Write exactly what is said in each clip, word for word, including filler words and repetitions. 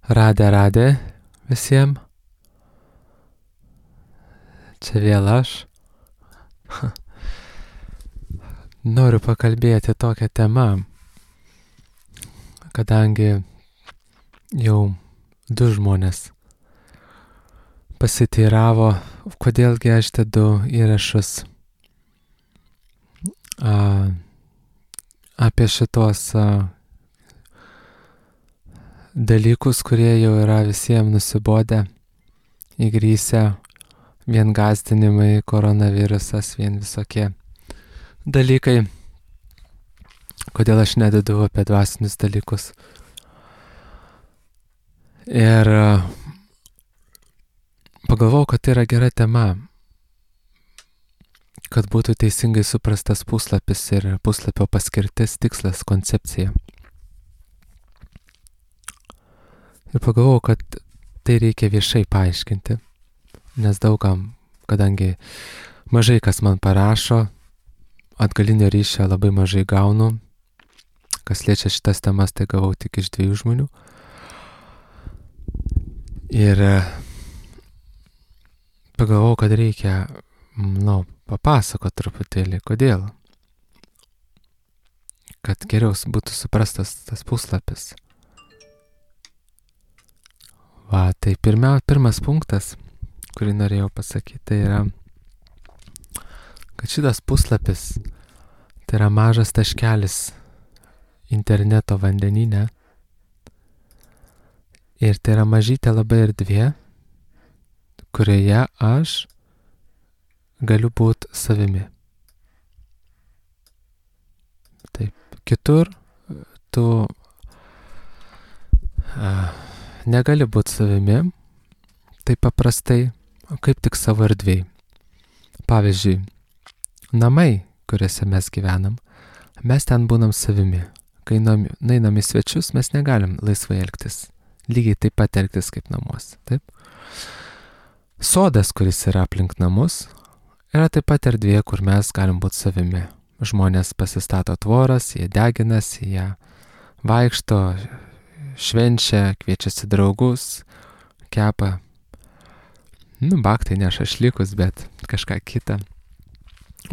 Radė, radė visiems. Čia vėl aš. Noriu pakalbėti tokią temą, kadangi jau du žmonės pasiteiravo, kodėlgi aš dedu įrašus a, apie šitos a, dalykus, kurie jau yra visiems nusibodę, įgrįsę, vien gąsdinimai, koronavirusas, vien visokie dalykai. Kodėl aš nededu apie dvasinius dalykus. Ir pagalvojau, kad tai yra gera tema, kad būtų teisingai suprastas puslapis ir puslapio paskirtis, tikslas, koncepcija. Ir pagalvojau, kad tai reikia viešai paaiškinti, nes daugam, kadangi mažai kas man parašo, atgalinio ryšio labai mažai gaunu, kas liečia šitas temas, tai gavau tik iš dviejų žmonių. Ir pagalvojau, kad reikia, nu, papasakoti truputėlį, kodėl. Kad geriau būtų suprastas tas puslapis. Va, tai pirmia, pirmas punktas, kurį norėjau pasakyti, tai yra, kad šitas puslapis, tai yra mažas taškelis interneto vandenyne. Ir tai yra mažytė labai erdvė, kurioje aš galiu būti savimi. Taip, kitur tu a, negali būti savimi, taip paprastai, kaip tik savo erdvėj. Pavyzdžiui, namai, kuriuose mes gyvenam, mes ten būnam savimi. Kai nainam į svečius, mes negalim laisvai elgtis. Lygiai taip pat elgtis kaip namuose. Taip? Sodas, kuris yra aplink namus, yra taip pat erdvė, kur mes galim būti savimi. Žmonės pasistato tvoras, jie deginasi, jie vaikšto, švenčia, kviečiasi draugus, kepa, nu, baktai ne šašlykus, bet kažką kitą.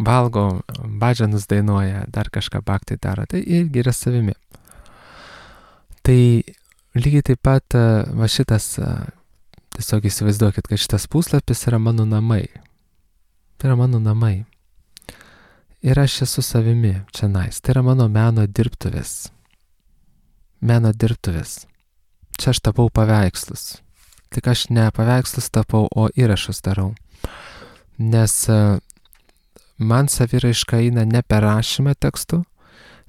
Valgo, badžanus dainuoja, dar kažką baktai daro, tai irgi yra savimi. Tai lygiai taip pat, va šitas, tiesiog įsivaizduokit, kad šitas puslapis yra mano namai. Tai yra mano namai. Ir aš esu savimi čia nais. Tai yra mano meno dirbtuvės. Meno dirbtuvės. Čia aš tapau paveikslus. Tik aš ne paveikslus tapau, o įrašus darau. Nes man saviraiška eina ne per rašymą tekstų,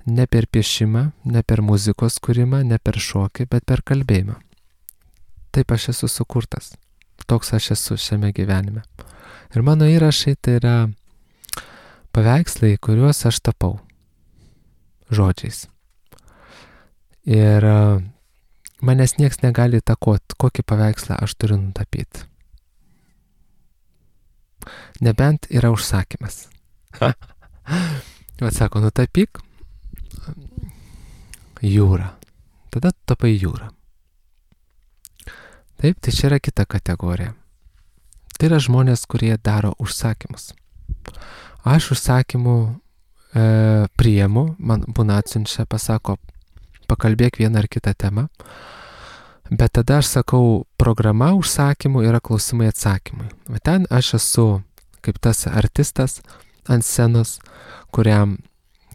ne per piešimą, ne per muzikos kūrimą, ne per šokį, bet per kalbėjimą. Taip aš esu sukurtas. Toks aš esu šiame gyvenime. Ir mano įrašai tai yra paveikslai, kuriuos aš tapau. Žodžiais. Ir manęs nieks negali įtakoti, kokį paveikslą aš turiu nutapyti. Nebent yra užsakymas. Vat sako, nutapyk jūrą. Tada tapai jūrą. Taip, tai čia yra kita kategorija. Tai yra žmonės, kurie daro užsakymus. Aš užsakymų e, priimu, man būna atsiunčia, pasako, pakalbėk vieną ar kitą temą, bet tada aš sakau, programa užsakymų yra klausimai atsakymai. O ten aš esu kaip tas artistas ant scenos, kuriam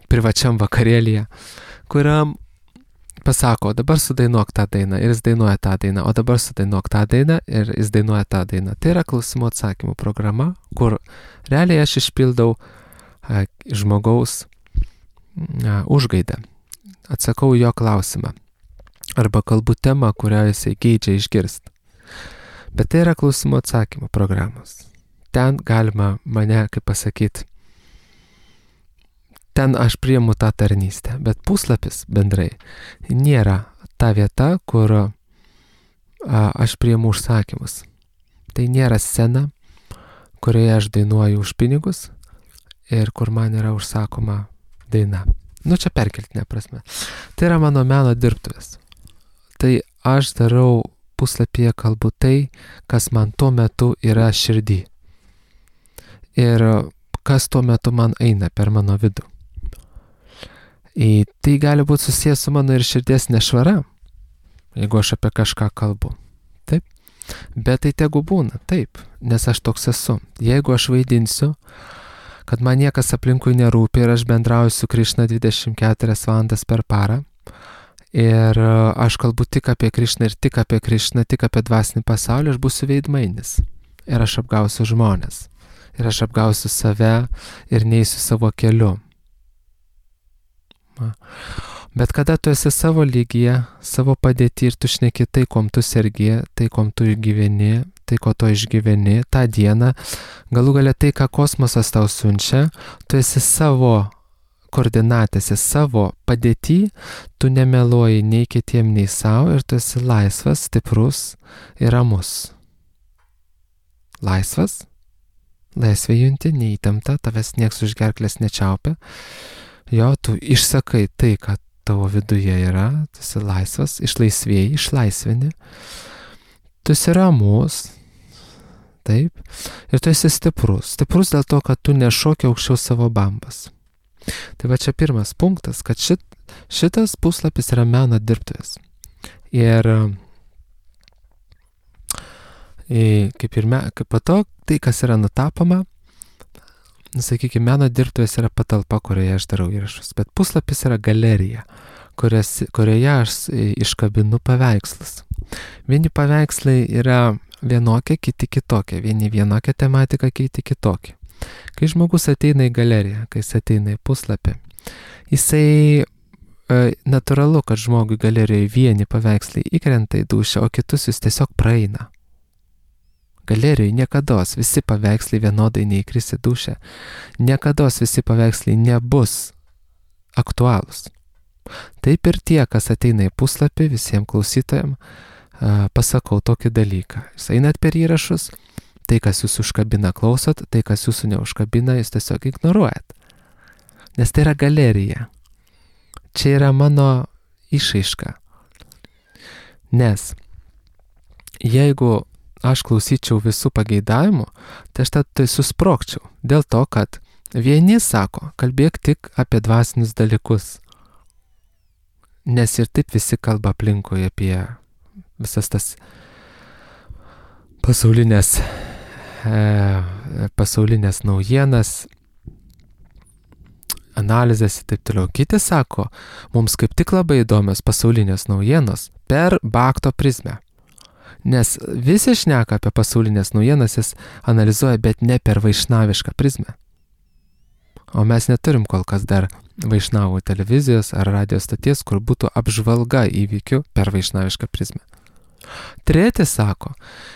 privačiam vakarėlyje, kuriam pasako, dabar sudainuok tą dainą ir jis dainuoja tą dainą, o dabar sudainuok tą dainą ir jis dainuoja tą dainą. Tai yra klausimų atsakymų programa, kur realiai aš išpildau a, žmogaus a, užgaidą. Atsakau jo klausimą. Arba kalbu temą, kurią jisai geidžia išgirsti. Bet tai yra klausimų atsakymų programos. Ten galima mane, kaip pasakyti, ten aš priimu tą tarnystę. Bet puslapis bendrai nėra ta vieta, kur a, aš priimu užsakymus. Tai nėra scena, kurioje aš dainuoju už pinigus ir kur man yra užsakoma daina. Nu, čia perkeltinė prasme. Tai yra mano meno dirbtuvės. Tai aš darau puslapyje kalbu tai, kas man tuo metu yra širdį. Ir kas tuo metu man eina per mano vidų. Ir tai gali būti susijęs su mano ir širdies nešvara, jeigu aš apie kažką kalbu. Taip. Bet tai tegu būna, taip, nes aš toks esu. Jeigu aš vaidinsiu, kad man niekas aplinkui nerūpi ir aš bendrauju su Krišna dvidešimt keturias valandas per parą, ir aš kalbu tik apie Krišną ir tik apie Krišną, tik apie dvasinį pasaulį, aš būsiu veidmainis. Ir aš apgausiu žmonės. Ir aš apgausiu save ir neįsiu savo keliu. Bet kada tu esi savo lygyje, savo padėtį ir tu šneki tai, kom tu sergi, tai, kom tu gyveni, tai, ko tu išgyveni, tą dieną, galų galia tai, ką kosmosas tau siunčia, tu esi savo koordinatėse, savo padėtį, tu nemeluoji nei kitiem, nei savo ir tu esi laisvas, stiprus ir ramus. Laisvas? Laisvė junti, neįtempta, tavęs nieks už gerklės nečiaupia. Jo, tu išsakai tai, ką tavo viduje yra, tu esi laisvas, išlaisvėjai, išlaisvini. Tu esi ramus, taip, ir tu esi stiprus. Stiprus dėl to, kad tu nešoki aukščiau savo bambas. Tai va čia pirmas punktas, kad šit, šitas puslapis yra meno dirbtuvės. Ir kaip ir me, kaip po to, tai, kas yra nutapoma, sakykime, meno dirbtuvės yra patalpa, kurioje aš darau įrašus, bet puslapis yra galerija, kurias, kurioje aš iškabinu paveikslus. Vieni paveikslai yra vienokie, kiti kitokie, vieni vienokia tematika, kiti kitokie. Kai žmogus ateina į galeriją, kai jis ateina į puslapį, jisai e, natūralu, kad žmogui galerijoje vieni paveikslai įkrenta į dūšią, o kitus jis tiesiog praeina. Galerijoje niekados visi paveikslai vienodai neįkris į dūšią. Niekados visi paveikslai nebus aktualūs. Taip ir tie, kas ateina į puslapį, visiems klausytojams pasakau tokį dalyką. Jūs einat per įrašus, tai, kas jūs užkabina, klausot, tai, kas jūsų neužkabina, jūs tiesiog ignoruojat. Nes tai yra galerija. Čia yra mano išraiška. Nes jeigu aš klausyčiau visų pageidavimų, tai aš tai susprogčiau. Dėl to, kad vieni sako, kalbėk tik apie dvasinius dalykus. Nes ir taip visi kalba aplinkui apie visas tas pasaulinės, e, pasaulinės naujienas, analizės ir taip toliau. Kiti sako, mums kaip tik labai įdomios pasaulinės naujienos per Bhakto prizmę. Nes visi šneka apie pasaulinės naujienas, jis analizuoja, bet ne per vaišnavišką prizmę. O mes neturim kol kas dar vaišnavų televizijos ar radijos stoties, kur būtų apžvalga įvykių per vaišnavišką prizmę. Treti sako,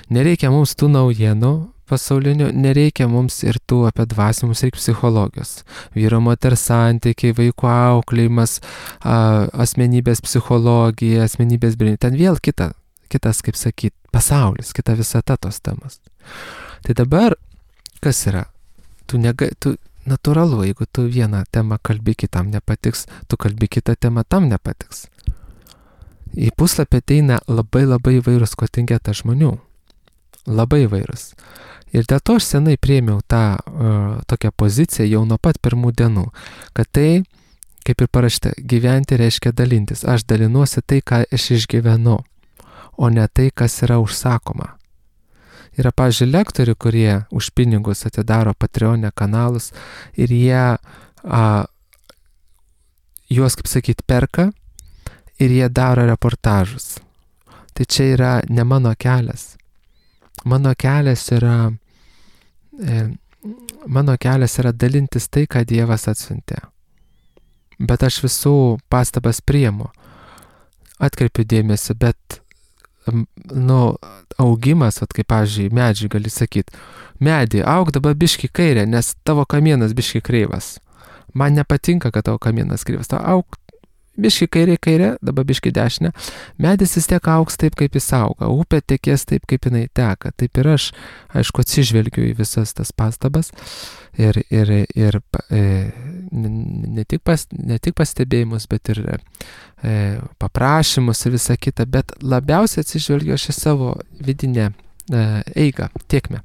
nereikia mums tų naujienų pasaulinių, nereikia mums ir tų apie dvasį, mums reikia psichologijos. Vyro moters santykiai, vaikų auklėjimas, asmenybės psichologija, asmenybės brandinimas. Ten vėl kita. Kitas, kaip sakyt, pasaulis, kita visata tos temas. Tai dabar, kas yra? Tu, nega, tu natūralu, jeigu tu vieną temą kalbi, kitam nepatiks, tu kalbi kitą temą, tam nepatiks. Į puslapį ateina labai labai įvairūs kontingentas žmonių. Labai įvairūs. Ir dėl to aš senai priėmiau tą uh, tokią poziciją jau nuo pat pirmų dienų, kad tai, kaip ir parašyta, gyventi reiškia dalintis. Aš dalinuosi tai, ką aš išgyvenu, o ne tai, kas yra užsakoma. Yra, pavyzdžiui, lektorių, kurie už pinigus atidaro Patreon'e kanalus ir jie a, juos, kaip sakyt, perka ir jie daro reportažus. Tai čia yra ne mano kelias. Mano kelias yra, e, mano kelias yra dalintis tai, ką Dievas atsiuntė. Bet aš visų pastabas priimu. Atkreipiu dėmesį, bet nu, augimas, at kaip, pavyzdžiui, medžiai gali sakyti, medį, auk dabar biški kairė, nes tavo kamienas biški kreivas. Man nepatinka, kad tavo kamienas kreivas. Tau auk biški kairė, kairė, dabar biški dešinė. Medis vis tiek auks taip, kaip jis auga. Upė tekės taip, kaip jinai teka. Taip ir aš, aišku, atsižvelgiu į visas tas pastabas ir, ir, ir e, ne, ne, tik, pas, ne tik pastebėjimus, bet ir e, paprašymus ir visą kitą, bet labiausiai atsižvelgiu aš į savo vidinę e, eigą, tėkmę.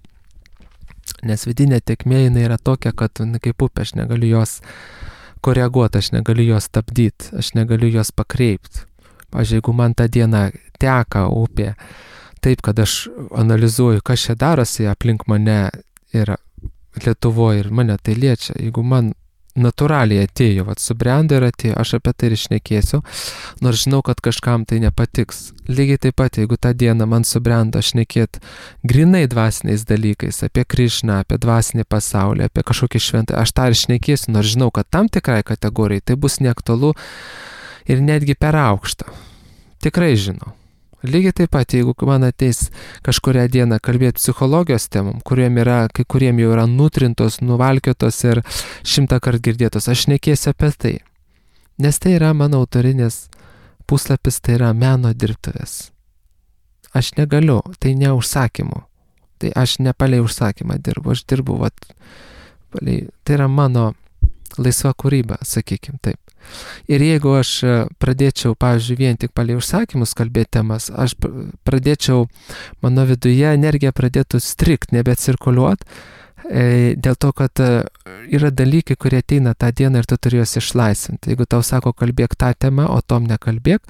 Nes vidinė tėkmė jinai yra tokia, kad na, kaip upė, aš negaliu jos koreguoti, aš negaliu jos stabdyti, aš negaliu jos pakreipti. Pavyzdžiui, jeigu man tą dieną teka upė taip, kad aš analizuoju, kas čia darosi aplink mane ir Lietuvoje ir mane tai liečia, jeigu man natūraliai atėjo, vat subrendo ir atėjo, aš apie tai ir šnekėsiu, nors žinau, kad kažkam tai nepatiks. Lygiai taip pat, jeigu tą dieną man subrendo šnekėti grinai dvasiniais dalykais, apie Krišną, apie dvasinį pasaulį, apie kažkokį šventą, aš tą ir šnekėsiu, nors žinau, kad tam tikrai kategorijai tai bus neaktualu ir netgi per aukštą. Tikrai žinau. Lygiai taip pat, jeigu man ateis kažkurią dieną kalbėti psichologijos temom, kuriem yra, kai kuriem jau yra nutrintos, nuvalkiotos ir šimtą kart girdėtos, aš nekėsiu apie tai. Nes tai yra mano autorinės puslapis, tai yra meno dirbtuvės. Aš negaliu, tai ne užsakymu. Tai aš ne palei užsakymą dirbu, aš dirbu, vat, palei, tai yra mano laisva kūryba, sakykim taip. Ir jeigu aš pradėčiau, pavyzdžiui, vien tik palei užsakymus kalbėti temas, aš pradėčiau, mano viduje energija pradėtų strikt, nebecirkuliuot, dėl to, kad yra dalykai, kurie ateina tą dieną ir tu turi juos išlaisvinti. Jeigu tau sako, kalbėk tą temą, o tom nekalbėk,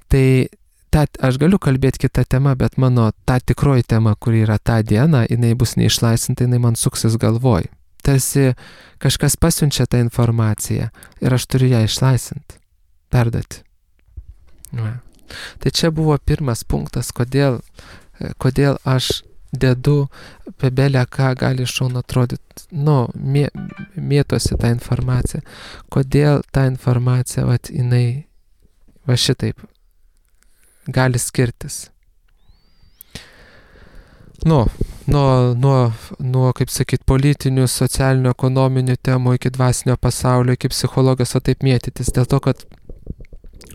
tai ta, aš galiu kalbėti kitą temą, bet mano ta tikroji tema, kuri yra tą dieną, jinai bus neišlaisvinta, jinai man suksis galvoj. Tarsi kažkas pasiunčia tą informaciją ir aš turiu ją išlaisinti, perduoti. Ja. Tai čia buvo pirmas punktas, kodėl, kodėl aš dedu apie belę, ką gali iš šono atrodyti, nu, mė, mėtosi tą informaciją. Kodėl ta informacija, vat, jinai va šitaip gali skirtis. Nu, nuo, nuo, nuo, kaip sakyt, politinių, socialinių, ekonominių temų iki dvasinio pasaulio, iki psichologijos, o taip mėtytis. Dėl to, kad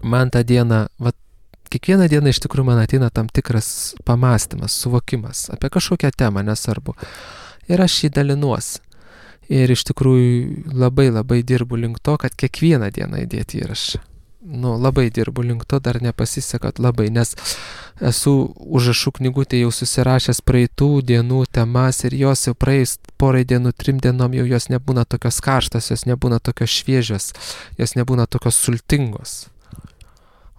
man tą dieną, va, kiekvieną dieną iš tikrųjų man ateina tam tikras pamąstymas, suvokimas apie kažkokią temą, nesvarbu. Ir aš jį dalinuosi. Ir iš tikrųjų labai labai dirbu link to, kad kiekvieną dieną įdėti įrašą. Nu, labai dirbu link to, dar nepasisekat labai, nes esu užrašų knygutė jau susirašęs praeitų dienų temas ir jos jau praeis porai dienų, trim dienom jau jos nebūna tokios karštos, jos nebūna tokios šviežios, jos nebūna tokios sultingos.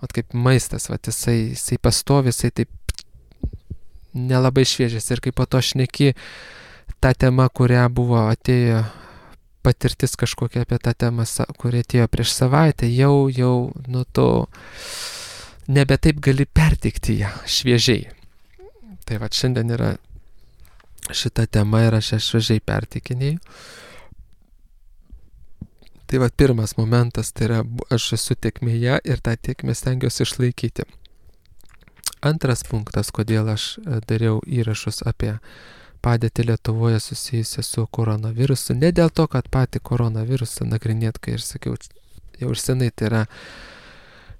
Vat kaip maistas, vat jisai, jisai pastovi, jisai taip nelabai šviežias ir kaip po to šneki tą temą, kurią buvo atėjo patirtis kažkokia apie tą temą, kuri atėjo prieš savaitę, jau, jau, nu to, nebe taip gali perteikti ją šviežiai. Tai va, šiandien yra šita tema ir aš ją šviežiai perteikinėjau. Tai va, pirmas momentas, tai yra, aš esu tėkmėje ir tą tėkmę stengiuosi išlaikyti. Antras punktas, kodėl aš dariau įrašus apie padėtį Lietuvoje susijusią su koronavirusu. Ne dėl to, kad patį koronavirusą nagrinėt, kai ir sakiau, jau ir senai tai yra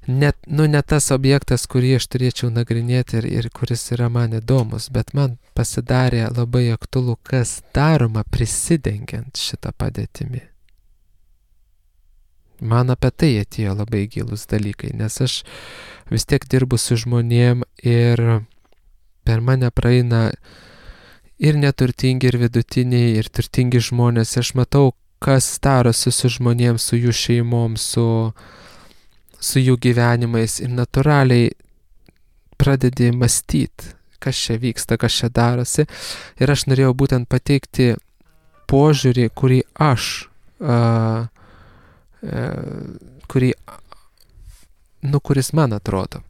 net, nu, ne tas objektas, kurį aš turėčiau nagrinėti ir, ir kuris yra man įdomus, bet man pasidarė labai aktualu, kas daroma prisidengiant šitą padėtimi. Man apie tai atėjo labai gilus dalykai, nes aš vis tiek dirbu su žmonėm ir per mane praeina ir neturtingi, ir vidutiniai, ir turtingi žmonės. Aš matau, kas darosi su žmonėms, su jų šeimom, su, su jų gyvenimais. Ir natūraliai pradedi mąstyti, kas čia vyksta, kas čia darosi. Ir aš norėjau būtent pateikti požiūrį, kurį aš, uh, uh, kurį, nu, kuris man atrodo.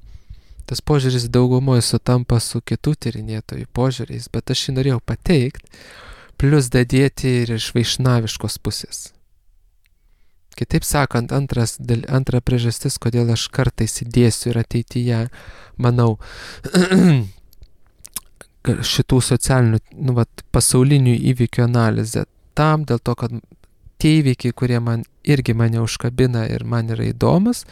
Tas požiūris daugumoje sutampa su kitų tyrinėtojų požiūriais, bet aš jį norėjau pateikti, plus dadėti ir iš vaišnaviškos pusės. Kitaip sakant, antras, antra priežastis, kodėl aš kartais įdėsiu ir ateityje, manau, šitų socialinių, nu, vat, pasaulinių įvykių analizę. Tam dėl to, kad tie įvykiai, kurie man irgi mane užkabina ir man yra įdomus,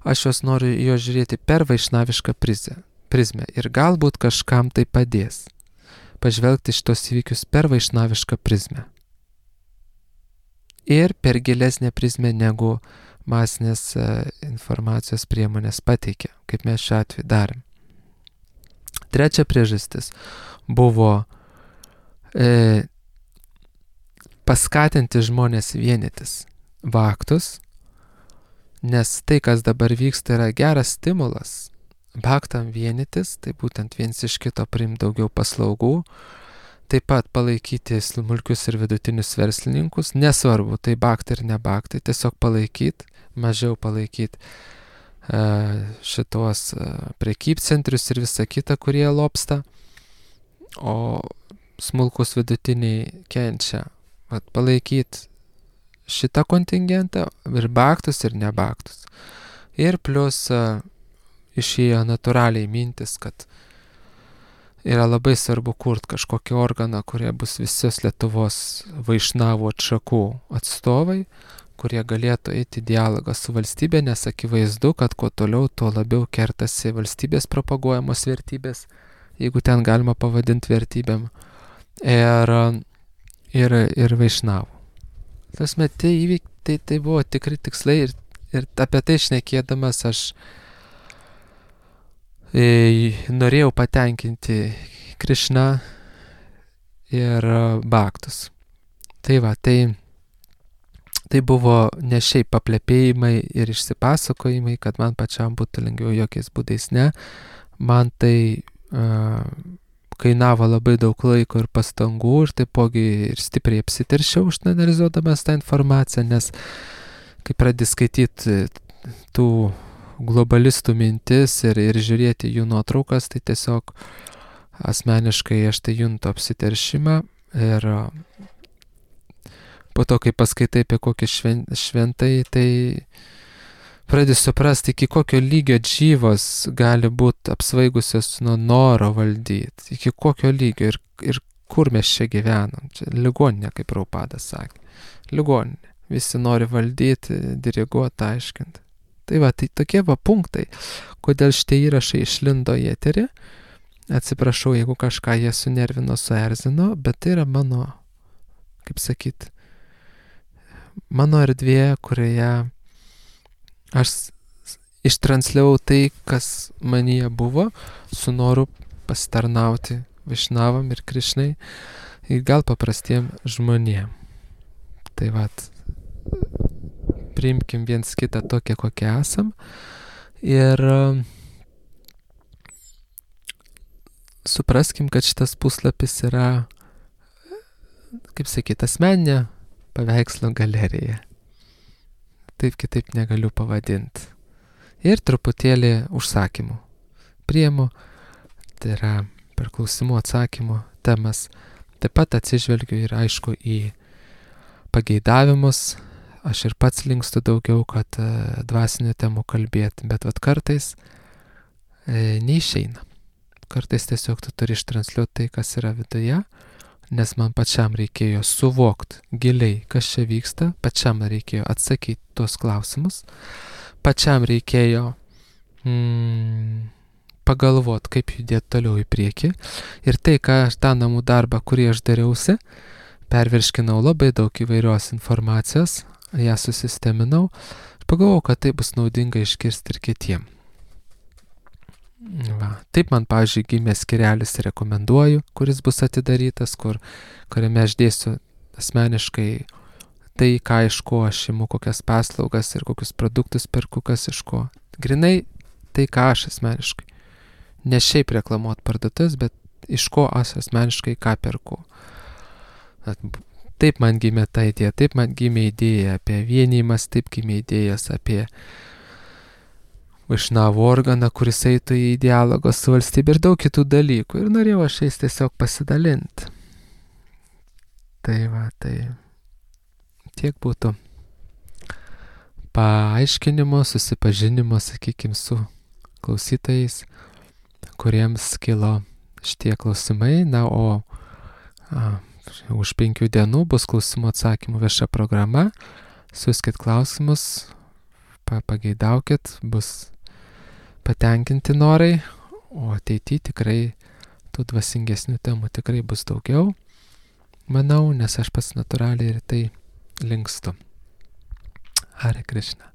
aš jos noriu jo žiūrėti per vaišnavišką prizmę ir galbūt kažkam tai padės pažvelgti šitos įvykius per vaišnavišką prizmę. ir per gilesnę prizmę negu masinės informacijos priemonės pateikia, kaip mes šiuo atveju darėm. Trečia priežastis buvo e, paskatinti žmonės vienytis, baktus, nes tai, kas dabar vyksta, yra geras stimulas baktam vienytis, tai būtent viens iš kito priimti daugiau paslaugų, taip pat palaikyti smulkius ir vidutinius verslininkus, nesvarbu, tai baktai ir ne baktai, tiesiog palaikyti, mažiau palaikyti uh, šitos uh, prekybcentrius ir visą kitą, kurie lobsta, o smulkus vidutiniai kenčia. Vat palaikyti šitą kontingentą ir baktus ir ne baktus. Ir plus uh, išėjo natūraliai mintis, kad yra labai svarbu kurti kažkokį organą, kurie bus visos Lietuvos vaišnavų atšakų atstovai, kurie galėtų eiti dialogą su valstybė, nes akivaizdu, kad kuo toliau, tuo labiau kertasi valstybės propaguojamos vertybės, jeigu ten galima pavadinti vertybėm, ir, ir, ir vaišnavų. Tasme, tai įvyk, tai, tai buvo tikri tikslai ir, ir apie tai šnekėdamas aš e, norėjau patenkinti Krišną ir baktus. Tai va, tai, tai buvo ne šiaip paplepėjimai ir išsipasakojimai, kad man pačiam būtų lengviau, jokiais būdais ne. Man tai uh, kainavo labai daug laiko ir pastangų ir taipogi ir stipriai apsiteršiau išanalizuodamas tą informaciją, nes kai pradedi skaityti tų globalistų mintis ir, ir žiūrėti jų nuotraukas, tai tiesiog asmeniškai aš tai juntu apsiteršimą ir po to, kai paskaitai apie kokį šven, šventai, tai pradedi suprasti, iki kokio lygio džyvos gali būti apsvaigusios nuo noro valdyti, iki kokio lygio ir, ir kur mes čia gyvenam. Čia ligoninė, kaip Prabhupada sakė. Ligoninė. Visi nori valdyti, diriguoti, aiškinti. Tai va, tai tokie va punktai, kodėl šitie įrašai išlindo į eterį. Atsiprašau, jeigu kažką jie sunervino, suerzino, bet tai yra mano, kaip sakyt, mano erdvė, kurioje aš ištransliavau tai, kas manyje buvo, su noru pasitarnauti Višnavam ir Krišnai ir gal paprastiem žmonėm. Tai va, priimkim viens kitą tokie, kokie esam ir supraskim, kad šitas puslapis yra, kaip sakyt, asmeninė paveikslo galerija. Taip kitaip negaliu pavadinti. Ir truputėlį užsakymų priimu, tai yra per klausimų atsakymų temas. Taip pat atsižvelgiu ir aišku į pageidavimus. Aš ir pats linkstu daugiau, kad e, dvasinių temų kalbėti, bet vat kartais e, neišeina. Kartais tiesiog tu turi ištransliuoti tai, kas yra viduje, nes man pačiam reikėjo suvokti giliai, kas čia vyksta, pačiam reikėjo atsakyti tuos klausimus, pačiam reikėjo mm, pagalvoti, kaip judėti toliau į priekį. Ir tai, ką aš tą namų darbą, kurį aš dariausi, pervirškinau labai daug įvairios informacijos, ją susisteminau ir pagalvojau, kad tai bus naudinga išgirsti ir kitiem. Va. Taip man, pavyzdžiui, gimė skirelis rekomenduoju, kuris bus atidarytas, kur, kuriame aš dėsiu asmeniškai tai, ką iš ko aš imu, kokias paslaugas ir kokius produktus perku, kas iš ko. Grinai tai, ką aš asmeniškai. Ne šiaip reklamuot parduotuvės, bet iš ko aš asmeniškai ką perku. Taip man gimė ta idėja, taip man gimė idėja apie vienijimas, taip gimė idėjas apie Višnavų organą, kuris eitų į dialogą su valstybė ir daug kitų dalykų. Ir norėjau aš jais tiesiog pasidalinti. Tai va, tai tiek būtų paaiškinimo, susipažinimo, sakykim, su klausytojais, kuriems kilo šitie klausimai. Na, o a, už penkių dienų bus klausimų atsakymų vieša programa. Siųskit klausimus, pageidaukit, bus patenkinti norai, o ateityje tikrai tų dvasingesnių temų tikrai bus daugiau, manau, nes aš pats natūraliai ir tai linkstu. Hare Krishna.